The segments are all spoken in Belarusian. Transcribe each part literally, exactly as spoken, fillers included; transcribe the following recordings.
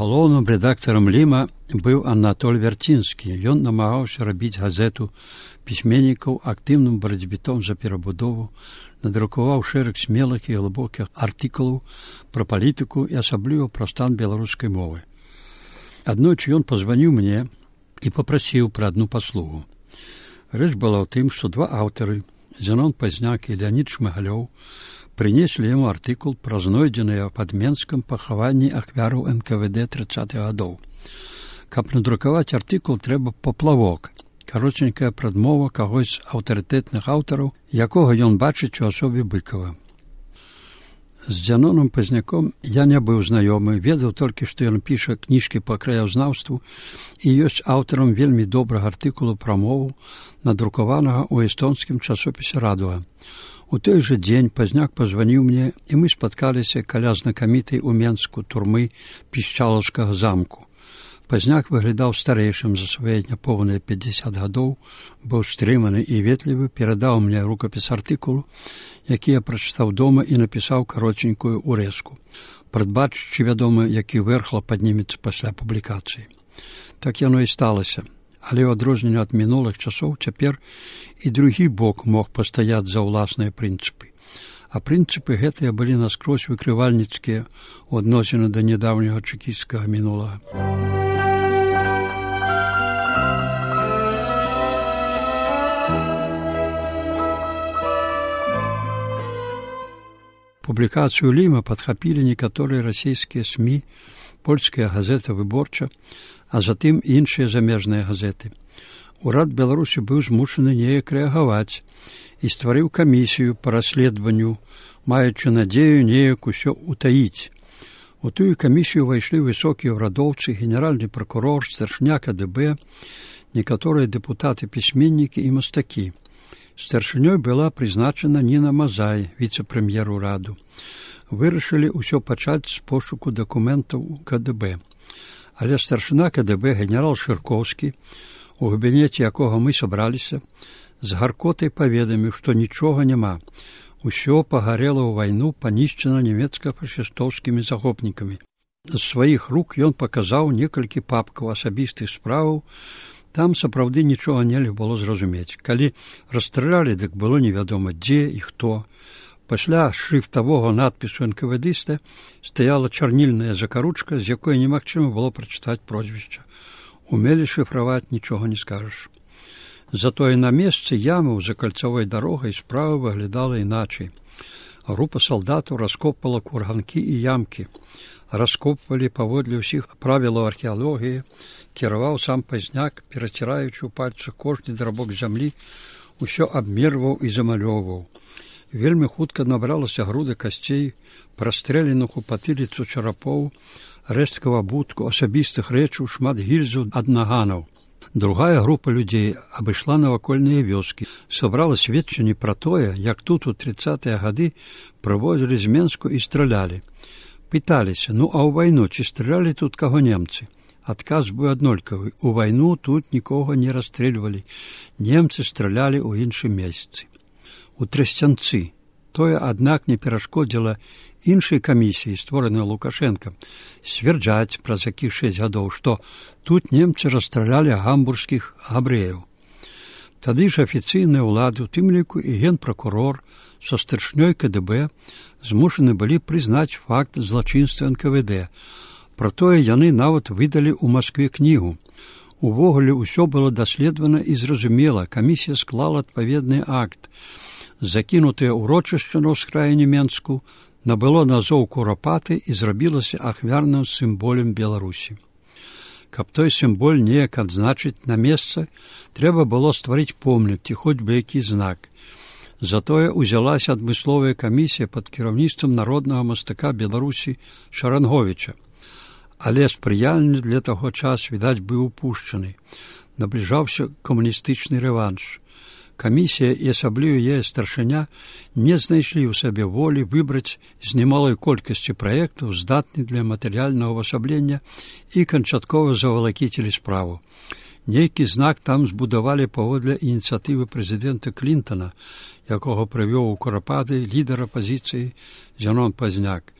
Галоўным рэдактарам Ліма быў Анатоль Вярцінскі. Ён намагаўся рабіць газету пісьменнікаў актыўным барацьбітом за перабудову, надрукаваў шэраг смелых і глыбокіх артыкулаў пра палітыку і асабліва пра стан беларускай мовы. Аднойчы ён пазваніў мне і папрасіў пра адну паслугу. Рэч была ў тым, што два аўтары, Зенон Пазняк і Леанід Шмыгалёў, прынеслі яму артыкул пра знойдзеныя пад Менскам пахаванні ахвяраў эн ка вэ дэ трыццатых гадоў. Каб надрукаваць артыкул, трэба паплавок, каротенькая прадмова кагось з аўтарытэтных аўтараў, якога ён бачыць у асобе Быкава. З Зеноном Пазняком я не быў знаёмы, ведаў толькі, што ён піша кніжкі па краязнаўству і ёсць аўтарам вельмі добрага артыкулу пра мову, надрукаванага ў эстонскім часопісе «Радуга». У той жа дзень Пазняк пазваніў мне, і мы спаткаліся каля знакамітай у Менску турмы Пішчалаўскага замку. Пазняк выглядаў старэйшым за свае няпоўныя пяцьдзясят гадоў, быў стрыманы і ветлівы, перадаў мне рукапіс артыкулу, які я прачытаў дома і напісаў каротенькую урэзку, прадбачачы, вядома, які верхла паднімецца пасля публікацыі. Так яно і сталася. Але ў адрозненне ад мінулых часоў цяпер і другі бок мог пастаяць за ўласныя прынцыпы. А прынцыпы гэтыя былі наскрозь выкрывальніцкія ў адносіны да нядаўняга чэкісцкага мінулага. Публікацыю Ліма падхапілі некаторыя расійскія СМІ, польская газета «Выборча», а затым іншыя замежныя газеты. Урад Беларусі быў змушаны неяк рэагаваць і стварыў камісію па расследаванню, маючы надзею неяк усё ўтаіць. У тую камісію ўвайшлі высокія ўрадоўцы, генеральны пракурор, старшыня ка дэ бэ, некаторыя дэпутаты-пісьменнікі і мастакі. Старшынёй была прызначана Ніна Мазай, віцэ-прэм'ер ураду. Вырашылі ўсё пачаць з пошуку дакументаў ка дэ бэ. Але старшына ка дэ бэ генерал Шыркоўскі, у кабінеце якога мы сабраліся, з гаркотай паведаміў, што нічога няма. Усё пагарела ў вайну, панішчана нямецка-фашыстоўскімі захопнікамі. З сваіх рук ён паказаў некалькі папкаў асабістых справаў. Там сапраўды нічога нельга было зразумець. Калі расстралялі, дык было невядома дзе і хто. Пасля шрыфтавога надпісу эн ка вэ дыста стаяла чарнільная закаручка, з якой немагчыма было прачытаць прозвішча. Умелі шыфраваць, нічога не скажаш. Затое на месцы ямы за кальцавой дарогай справа выглядала іначай. Група салдатаў раскопвала курганкі і ямкі. Раскопвалі паводле ўсіх правілаў археалогіі, кіраваў сам Пазняк, пераціраючы ў пальцах кожны драбок зямлі, усё абмерваў і замалёўваў. Вельмі хутка набралася груда касцей, прастрэленых у патыліцу чарапоў, рэшткаў абутку, асабістых рэчаў, шмат гільзаў ад наганаў. Другая група людзей абышла навакольныя вёскі, сабрала сведчанні пра тое, як тут у трыццатыя гады прывозілі з Менску і стралялі. Пыталіся, ну а ў вайну ці стралялі тут каго немцы? Адказ быў аднолькавы. У вайну тут нікога не расстрэльвалі. Немцы стралялі ў іншым месцы. У Трасцянцы. Тое, аднак, не перашкодзіла іншай камісіі, створанай Лукашэнкам, сцвярджаць праз якіх шэсць гадоў, што тут немцы расстралялі гамбургскіх габрэяў. Тады ж афіцыйныя ўлады, у тым ліку і генпракурор са старшынёй ка дэ бэ, змушаны былі прызнаць факт злачынства эн ка вэ дэ. Пра тое яны нават выдалі ў Маскве кнігу. Увогуле ўсё было даследавана і зразумела, камісія склала адпаведны акт. Закінутае ўрочышча на ўскраіне Менску набыло назоў Курапаты і зрабілася ахвярным сімволем Беларусі. Каб той сімволь неяк адзначыць на месца, трэба было стварыць помнік ці хоць бы які знак. Затое ўзялася адмысловая камісія пад кіраўніцтвам народнага мастака Беларусі Шаранговіча. Але спрыяльны для таго час, відаць, быў упушчаны. Набліжаўся камуністычны рэванш. Камісія і асабліва яе старшыня не знайшлі ў сабе волі выбраць з немалой колькасці праектаў, здатны для матэрыяльнага ўвасаблення, і канчаткова завалакіцілі справу. Нейкі знак там збудавалі паводле ініцыятывы прэзідэнта Клінтана, якога прывёў у Курапаты лідар апазіцыі Зенон Пазняк.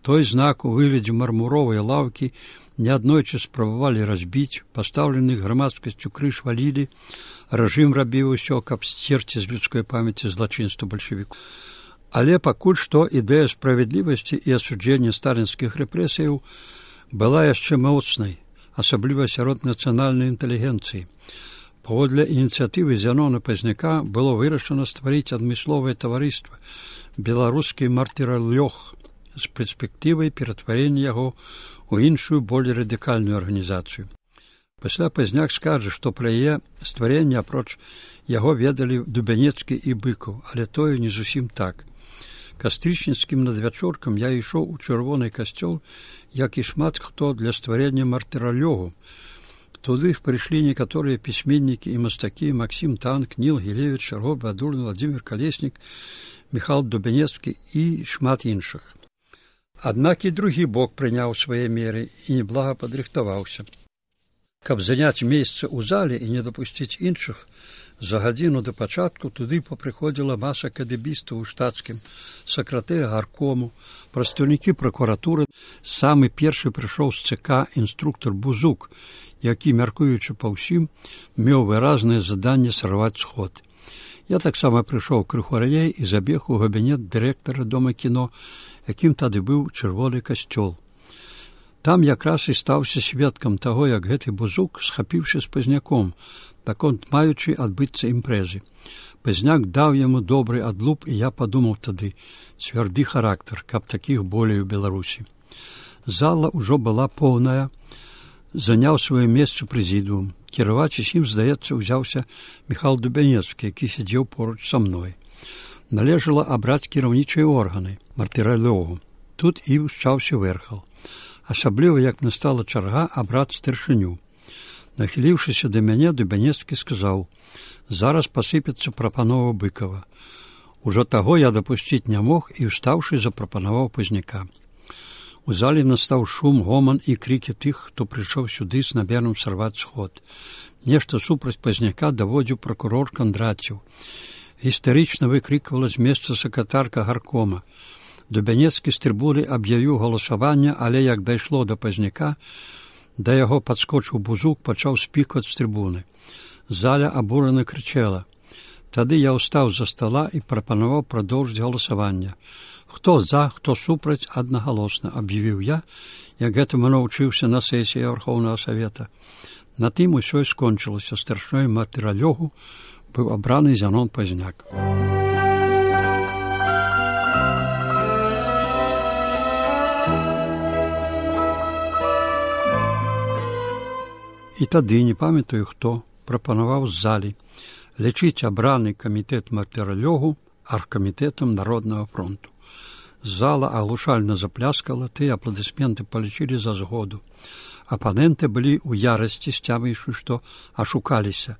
Той знак у выглядзе мармуровай лаўкі неаднойчы спрабавалі разбіць, пастаўленых грамадскасцю крыж валілі, рэжым рабіў усё, каб сцерці з людской памяці злачынства бальшавікоў. Але пакуль што ідэя справядлівасці і асуджэння сталінскіх рэпрэсіяў была яшчэ моцнай, асабліва сярод нацыянальнай інтэлігенцыі. Паводле ініцыятывы Зянона Пазняка было вырашана стварыць адмысловае таварыства «Беларускі мартыралёг» з перспектывай ператварення яго ў іншую, болей радыкальную арганізацыю. Пасля Пазняк скажа, што пра яе стварэнне апроч яго ведалі Дубянецкі і Быкаў, але тое не зусім так. Кастрычніцкім надвячоркам я ішоў у чырвоны касцёл, як і шмат хто для стварення мартыралёгу. Туды прыйшлі некаторыя пісьменнікі і мастакі Максім Танк, Ніл Гілевіч, Шарго Бадулін, Владзімір Калеснік, Міхал Дубянецкі і шмат іншых. Аднак і другі бок прыняў свае меры і неблага падрыхтаваўся. Каб заняць месца ў зале і не дапусціць іншых, за гадзіну да пачатку туды папрыходзіла маса кадэбістаў у штатскім, сакратэр гаркому, прадстаўнікі пракуратуры. Самы першы прыйшоў з ЦК інструктар Бузук, які, мяркуючы па ўсім, меў выразнае заданне сарваць сход. Я таксама прыйшоў крыху раней і забег у кабінет дырэктара дома кіно, якім тады быў чырвоны касцёл. Там якраз і стаўся сведкам таго, як гэты Бузук, схапіўшы з Пазняком, наконт маючы адбыцца імпрэзы. Пазняк даў яму добры адлуп, і я падумаў тады, цвярды характар, каб такіх болей у Беларусі. Зала ўжо была поўная, заняў сваё месца прэзідыум. Кіраваць усім, здаецца, узяўся Міхал Дубянецкі, які сядзеў поруч са мной. Належала абраць кіраўнічыя органы, мартыралёгу. Тут і ўшчаўся вэрхал. Асабліва, як настала чарга абраць старшыню. Нахіліўшыся да мяне, Дубянецкі сказаў: «Зараз пасыпецца прапанова Быкава». Ужо таго я дапусціць не мог і, устаўшы, запрапанаваў Пазняка. У зале настаў шум, гоман і крыкі тых, хто прыйшоў сюды з намерам сарваць сход. Нешта супраць Пазняка даводзіў пракурор Кандраціў. Гістарычна выкрыквала з месца сакратарка гаркома. Дубянецкі з трыбуны аб'явіў галасаванне, але як дайшло да Пазняка, да яго падскочыў Бузук, пачаў спікаць з трыбуны. Заля абурана крычала. Тады я ўстаў за стала і прапанаваў прадоўжыць галасаванне. «Хто за, хто супраць, аднагалосна», аб'явіў я, як гэтаму навучыўся на сесіі Вярхоўнага Савета. На тым усё і скончылася. Старшынёй мартыралёгу быў абраны Зянон Пазняк. І тады, не памятаю хто, прапанаваў з залі лічыць абраны камітэт мартыралёгу аргкамітэтам Народнага фронту. Зала аглушальна запляскала, тыя апладысменты палічылі за згоду. Апаненты былі ў ярасці, сцяміўшы, што ашукаліся,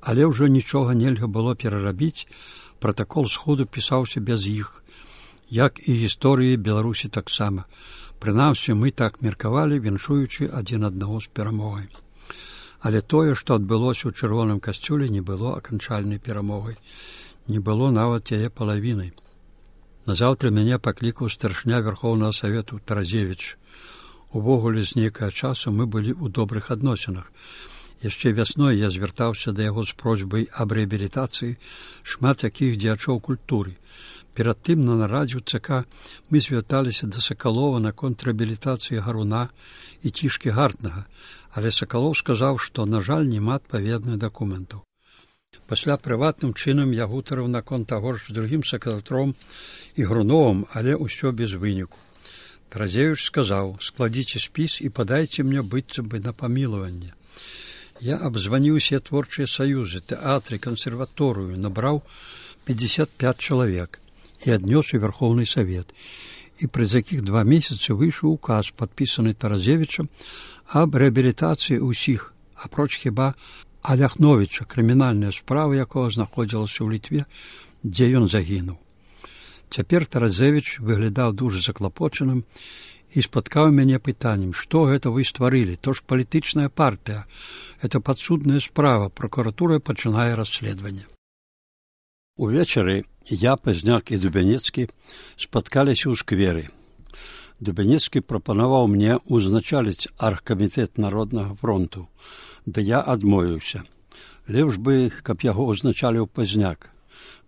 але ўжо нічога нельга было перарабіць, пратакол сходу пісаўся без іх, як і гісторыі Беларусі таксама. Прынамсі, мы так меркавалі, віншуючы адзін аднаго з перамогай. Але тое, што адбылося ў чырвоным касцёле, не было аканчальнай перамогай. Не было нават яе палавінай. Назаўтра мяне паклікаў старшыня Вярхоўнага Савету Таразевіч. Увогуле, з нейкага часу мы былі ў добрых адносінах. Яшчэ вясной я звяртаўся да яго з просьбай аб рэабілітацыі шмат якіх дзеячоў культуры. Перад тым на нарадзе ў ЦК мы звярталіся да Сакалова наконт рэабілітацыі Гаруна і Цішкі Гартнага, але Сакалоў сказаў, што, на жаль, няма адпаведных дакументаў. Пасля прыватным чынам я гутарыў наконт таго ж з другім сакратаром і Груновым, але ўсё без выніку. Таразевіч сказаў: «Складзіце спіс і падайце мне быццам бы на памілаванне». Я абзваніў усе творчыя саюзы, тэатры, кансерваторыю, набраў пятьдесят пять чалавек і аднёс у Вярхоўны Савет. І праз якіх два месяцы выйшаў указ, падпісаны Таразевічам, аб рэабілітацыі ўсіх, апроч хіба Аляхновіча, крымінальная справа якога знаходзілася ў Літве, дзе ён загінуў. Цяпер Таразевіч выглядаў дужа заклапочаным і спаткаў мяне пытаннем: «Што гэта вы стварылі? То ж палітычная партыя. Это падсудная справа. Пракуратура пачынае расследаванне». Увечары я, Пазняк і Дубянецкі спаткаліся ў скверы. Дубянецкі прапанаваў мне ўзначаліць аргкамітэт Народнага фронту, ды я адмовіўся. Лепш бы, каб яго ўзначаліў Пазняк.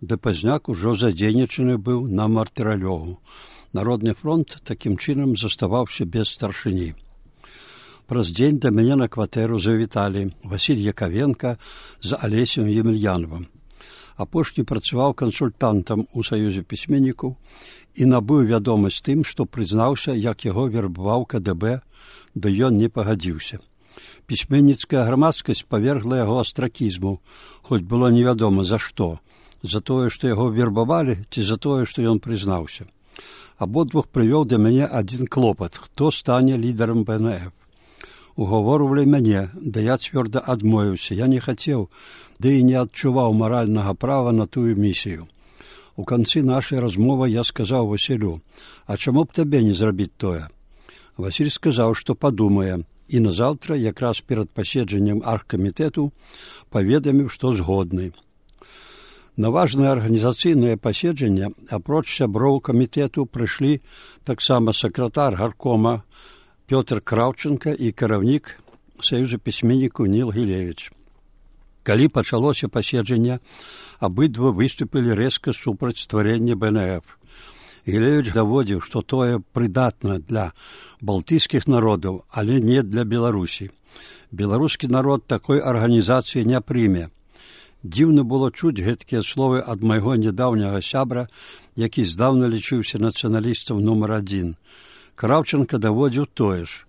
Ды Пазняк ужо задзейнічаны быў на мартыралёгу. Народны фронт такім чынам заставаўся без старшыні. Праз дзень да мяне на кватэру завіталі Васіль Якавенка з Алесем Емельяновым. Апошні працаваў кансультантам у Саюзе пісьменнікаў і набыў вядомасць тым, што прызнаўся, як яго вербаваў ка дэ бэ, да ён не пагадзіўся. Пісьменніцкая грамадскасць павергла яго астракізму, хоць было невядома за што, за тое, што яго вербавалі, ці за тое, што ён прызнаўся. Абодвух прывёў да мяне адзін клопат, хто стане лідарам бэ эн эф. Угаворвалі мяне, да я цвёрда адмовіўся, я не хацеў, ды і не адчуваў маральнага права на тую місію. У канцы нашай размовы я сказаў Васілю, а чаму б табе не зрабіць тое? Васіль сказаў, што падумае, і назаўтра, якраз перад паседжаннем аргкамітэту, паведаміў, што згодны. На важнае арганізацыйнае паседжанне, апроч сяброў камітэту, прыйшлі таксама сакратар гаркома Пётр Краўченка і кіраўнік Саюза пісьменнікаў Ніл Гілевіч. Калі пачалося паседжанне, абыдва выступілі рэзка супраць стварэння бэ эн эф. Гілевіч даводзіў, што тое прыдатна для балтыйскіх народаў, але не для Беларусі. Беларускі народ такой арганізацыі не прыме. Дзіўна было чуць гэткія словы ад майго нядаўняга сябра, які здаўна лічыўся нацыяналістам нумар адзін. Краўченка даводзіў тое ж.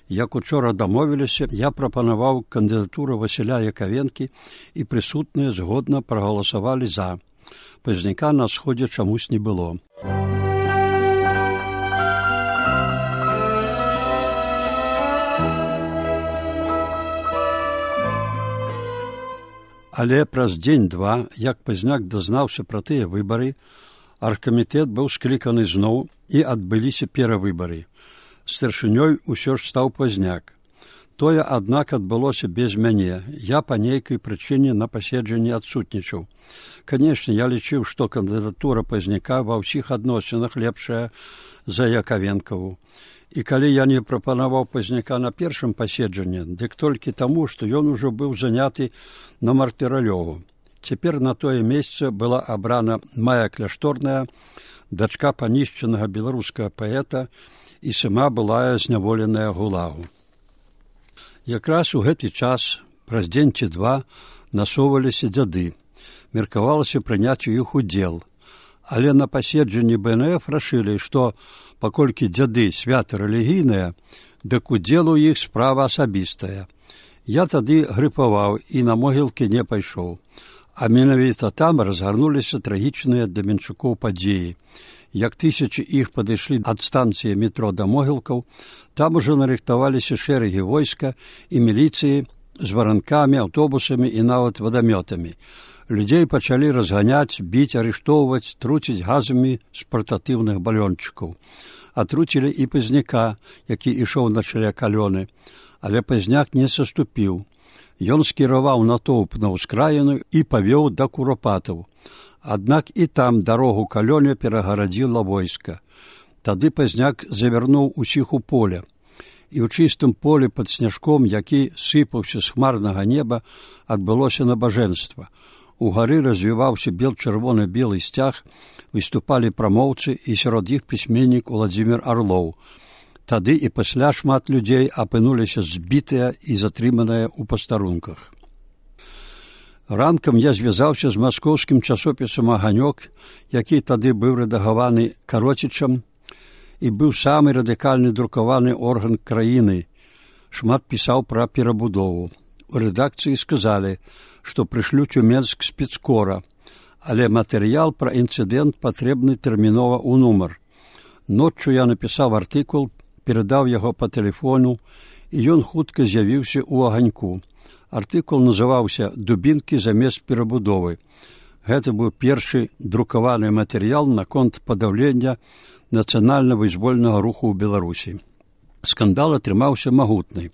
Як учора дамовіліся, я прапанаваў кандыдатуру Васіля Якавенкі і прысутныя згодна прагаласавалі за. Пазняка на сходзе чамусь не было. Але праз дзень-два, як Пазняк дазнаўся пра тыя выбары, аргкамітэт быў скліканы зноў і адбыліся перавыбары. Старшынёй усё ж стаў Пазняк. Тое, аднак, адбылося без мяне. Я па нейкай прычыне на паседжанні адсутнічаў. Канешне, я лічыў, што кандыдатура Пазняка ва ўсіх адносінах лепшая за Якавенкаву. І калі я не прапанаваў Пазняка на першым паседжанні, дык толькі таму, што ён ужо быў заняты на мартыралёгу. Цяпер на тое месца была абрана Мая Кляшторная, дачка панішчанага беларускага паэта, і сама былая зняволеная гулагу. Якраз у гэты час, праз дзень ці два, насоўваліся дзяды. Меркавалася прыняць у іх удзел. Але на паседжанні бэ эн эф рашылі, што, паколькі дзяды свята рэлігійныя, дык удзел у іх справа асабістая. Я тады грыпаваў і на могілкі не пайшоў. А менавіта там разгарнуліся трагічныя для менчукоў падзеі. Як тысячы іх падышлі ад станцыі метро да могілкаў, там ужо нарыхтаваліся шэрагі войска і міліцыі з варанкамі, аўтобусамі і нават вадамётамі. Людзей пачалі разганяць, біць, арыштоўваць, труціць газамі з партатыўных балёнчыкаў. Атруцілі і Пазняка, які ішоў на чале калёны, але Пазняк не саступіў. Ён скіраваў натоўп на ўскраіну і павёў да курапатаў. Аднак і там дарогу калёне перагарадзіла войска. Тады Пазняк завярнуў усіх у поле. І ў чыстым полі пад сняжком, які сыпаўся з хмарнага неба, адбылося набажэнства. Угары развіваўся бел-чырвона-белы сцяг, выступалі прамоўцы і сярод іх пісьменнік Уладзімір Арлоў. Тады і пасля шмат людзей апынуліся збітыя і затрыманыя ў пастарунках. Ранкам я звязаўся з маскоўскім часопісам «Аганёк», які тады быў рэдагаваны Кароцічам і быў самы радыкальны друкаваны орган краіны. Шмат пісаў пра перабудову. У рэдакцыі сказалі, што прышлюць у Менск спецкора, але матэрыял пра інцыдэнт патрэбны тэрмінова ў нумар. Ноччу я напісаў артыкул, перадаў яго па тэлефону, і ён хутка з'явіўся ў «Аганьку». Артыкул называўся «Дубінкі замест перабудовы». Гэта быў першы друкаваны матэрыял наконт падаўлення нацыянальна-вызвольнага руху ў Беларусі. Скандал атрымаўся магутны.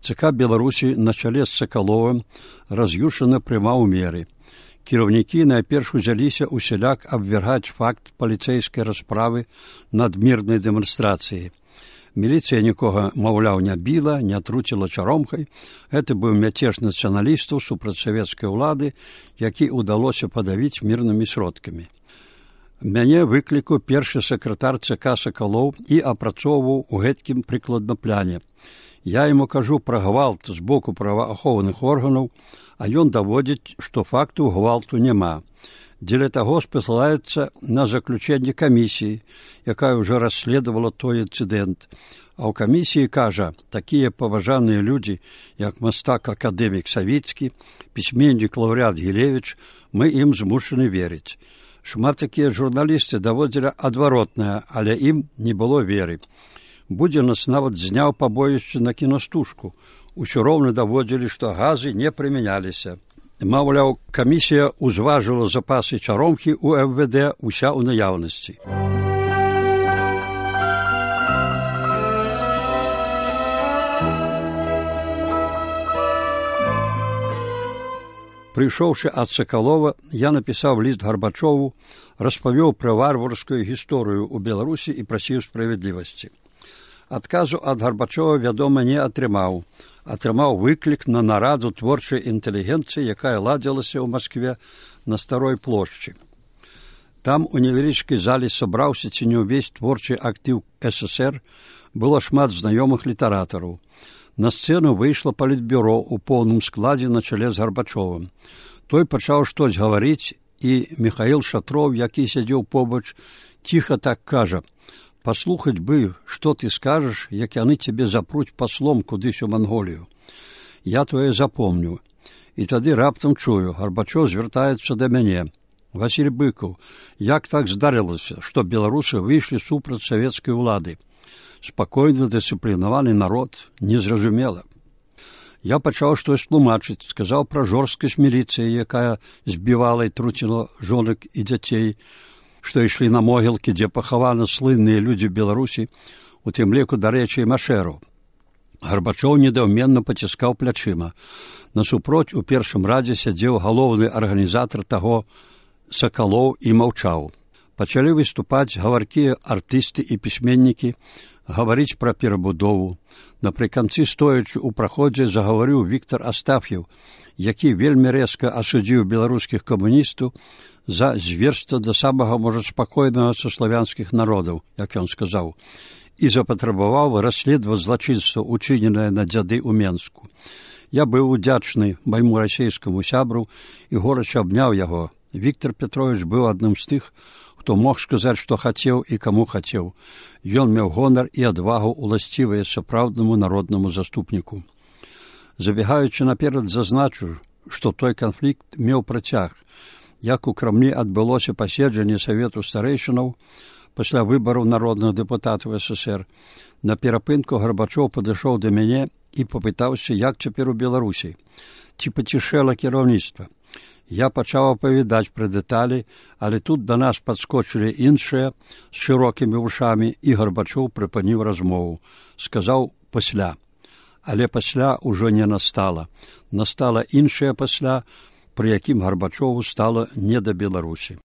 ЦК Беларусі на чале з Сакаловым раз'юшана прымаў меры. Кіраўнікі найперш узяліся ўсяляк абвяргаць факт паліцэйскай расправы над мірнай дэманстрацыяй. Міліцыя нікога, маўляў, не біла, не труціла чаромкай. Гэта быў мяцеж нацыяналістаў супраць савецкай улады, які ўдалося падавіць мірнымі сродкамі. Мяне выклікаў першы сакратар ЦК Сакалоў і апрацоўваў у гэткім прыкладна пляне. Я яму кажу пра гвалт з боку праваахоўных органаў, а ён даводзіць, што факту гвалту няма. Дзеля таго спасылаецца на заключэнне камісіі, якая ўжо расследавала той інцыдэнт. А ў камісіі кажа, такія паважаныя людзі, як мастак-акадэмік Савіцкі, пісьменнік лаўрэат Гілевіч, мы ім змушаны верыць. Шмат такія журналісты даводзілі адваротнае, але ім не было веры. Будзенас нават зняў пабоішча на кінастужку. Усё роўна даводзілі, што газы не прымяняліся. Маўляў, камісія ўзважыла запасы чаромкі ў эф вэ дэ ўся ў наяўнасці. Прыйшоўшы ад Сакалова, я напісаў ліст Гарбачову, распавёў пра варварскую гісторыю ў Беларусі і прасіў справядлівасці. Адказу ад Гарбачова, вядома, не атрымаў. Атрымаў выклік на нараду творчай інтэлігенцыі, якая ладзілася ў Маскве на Старой плошчы. Там у невялічкай зале сабраўся ці не ўвесь творчы актыў эс эс ер, было шмат знаёмых літаратараў. На сцэну выйшла палітбюро ў поўным складзе на чале з Гарбачовым. Той пачаў штось гаварыць, і Міхаіл Шатроў, які сядзеў побач, ціха так кажа: «Паслухаць бы, што ты скажаш, як яны цябе запруць паслом кудысь у Манголію. Я тое запомню». І тады раптам чую, Гарбачоў звяртаецца да мяне: «Васіль Быкаў, як так здарылася, што беларусы выйшлі супраць савецкай улады? Спакойны, дысцыплінаваны народ, незразумела». Я пачаў штось тлумачыць, сказаў пра жорсткасць міліцыі, якая збівала і труціла жонак і дзяцей, што ішлі на могілкі, дзе пахаваны слынныя людзі Беларусі, у тым ліку, дарэчы, машэраў. Гарбачоў недаўменна паціскаў плячыма. Насупроць у першым радзе сядзеў галоўны арганізатар таго Сакалоў і маўчаў. Пачалі выступаць гаваркія артысты і пісьменнікі, гаварыць пра перабудову. Напрыканцы, стоячы ў праходзе, загаварыў Віктар Астаф'еў, які вельмі рэзка асудзіў беларускіх камуністаў за зверства да самага, можа, спакойнага са славянскіх народаў, як ён сказаў, і запатрабаваў расследаваць злачынства, учыненае на дзяды ў Менску. Я быў удзячны майму расейскаму сябру і горача абняў яго. Віктор Петрович быў адным з тых, хто мог сказаць, што хацеў і каму хацеў. Ён меў гонар і адвагу, уласцівыя сапраўднаму народнаму заступніку. Забегаючы наперад, зазначу, што той канфлікт меў працяг. Як у Крамлі адбылося паседжанне Савету старэйшынаў пасля выбараў народных дэпутатаў эс эс ер, на перапынку Гарбачоў падышоў да мяне і папытаўся, як цяпер у Беларусі, ці пацішэла кіраўніцтва. Я пачаў апавядаць пра дэталі, але тут да нас падскочылі іншыя з шырокімі вушамі, і Гарбачоў прыпыніў размову. Сказаў пасля. Але пасля ўжо не настала. Настала іншае пасля, пры якім Гарбачову стала не да Беларусі.